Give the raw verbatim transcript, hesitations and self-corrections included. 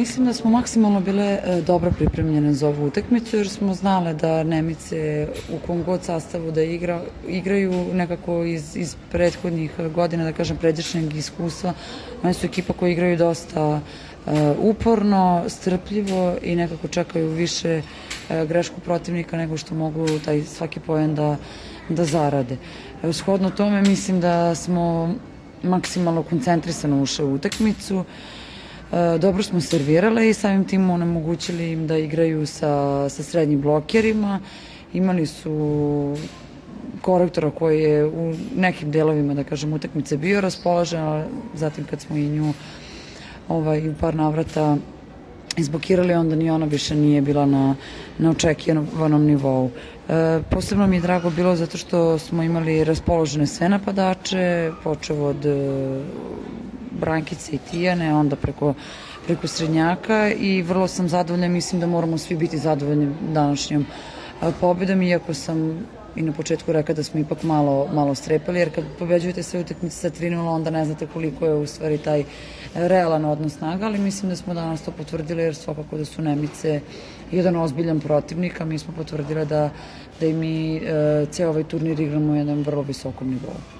mislim da smo maksimalno bile dobro pripremljene za ovu utakmicu, jer smo znale da Nemice u kom god sastavu da igra, igraju nekako iz, iz prethodnih godina, da kažem, pređašnjeg iskustva. Oni su ekipa koja igraju dosta uh, uporno, strpljivo i nekako čekaju više uh, grešku protivnika nego što mogu taj svaki poen da, da zarade. Shodno tome mislim da smo maksimalno koncentrisano ušli u utakmicu. Dobro smo servirale i samim tim onemogućili im da igraju sa, sa srednjim blokerima. Imali su korektora koji je u nekim delovima, da kažem, utakmice bio raspoložen, a zatim kad smo i nju ovaj, u par navrata izblokirali, onda ni ona više nije bila na, na očekivanom nivou. E, posebno mi je drago bilo zato što smo imali raspoložene sve napadače, počev od Brankice i Tijane, onda preko, preko Srednjaka, i vrlo sam zadovoljna. Mislim da moramo svi biti zadovoljni današnjom pobedom, iako sam i na početku rekla da smo ipak malo, malo strepali, jer kad pobeđujete sve utakmice sa tri nula, onda ne znate koliko je u stvari taj realan odnos snaga, ali mislim da smo danas to potvrdili, jer svakako da su Nemice jedan ozbiljan protivnik, a mi smo potvrdili da, da i mi e, ceo ovaj turnir igramo u jednom vrlo visokom nivou.